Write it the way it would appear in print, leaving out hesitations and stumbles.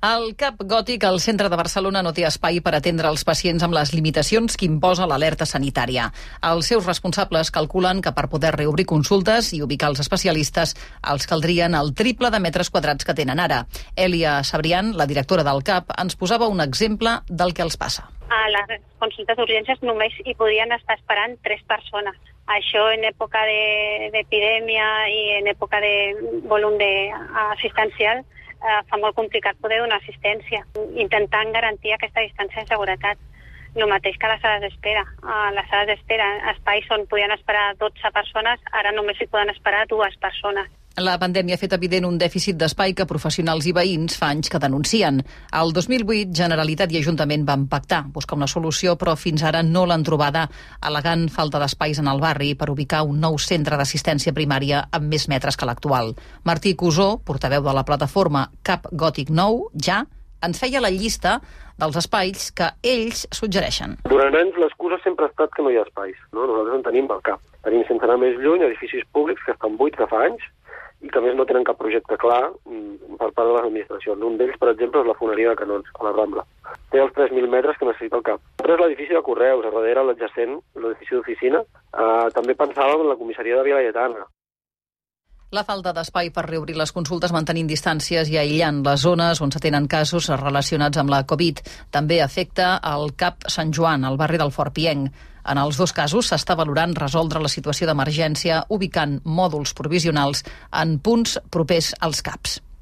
Al CAP Gòtic, al centre de Barcelona, no té espai per atendre els pacients amb les limitacions que imposa l'alerta sanitària. Els seus responsables calculen que per poder reobrir consultes i ubicar els especialistes els caldrien el triple de metres quadrats que tenen ara. Èlia Sabrián, la directora del CAP, ens posava un exemple del que els passa. A les consultes d'urgències només hi podien estar esperant 3 persones. Això en època d'epidèmia i en època de volum assistencial fa molt complicat poder donar assistència, intentant garantir aquesta distància de seguretat. El mateix que a les sales d'espera. A les sales d'espera, espais on podien esperar 12 persones, ara només hi poden esperar 2 persones. La pandèmia ha fet evident un dèficit d'espai que professionals i veïns fa anys que denuncien. El 2008, Generalitat i Ajuntament van pactar, buscar una solució, però fins ara no l'han trobada, al·legant falta d'espais en el barri per ubicar un nou centre d'assistència primària amb més metres que l'actual. Martí Cusó, portaveu de la plataforma CAP Gòtic Nou, ja ens feia la llista dels espais que ells suggereixen. Durant anys l'excusa sempre ha estat que no hi ha espais. Nosaltres en tenim al CAP. Tenim, sense anar més lluny, edificis públics que estan buits de fa anys i que a més no tenen cap projecte clar per part de les administracions. Un d'ells, per exemple, és la foneria de Canons, a la Rambla. Té els 3.000 metres que necessita el CAP. L'altre és l'edifici de Correus, a darrere l'adjacent, l'edifici d'oficina. També pensàvem en la comissaria de Vila Lletana. La falta d'espai per reobrir les consultes mantenint distàncies i aïllant les zones on s'atenen casos relacionats amb la Covid. També afecta el CAP Sant Joan, al barri del Fort Pienc. En els 2 casos s'està valorant resoldre la situació d'emergència ubicant mòduls provisionals en punts propers als CAPs.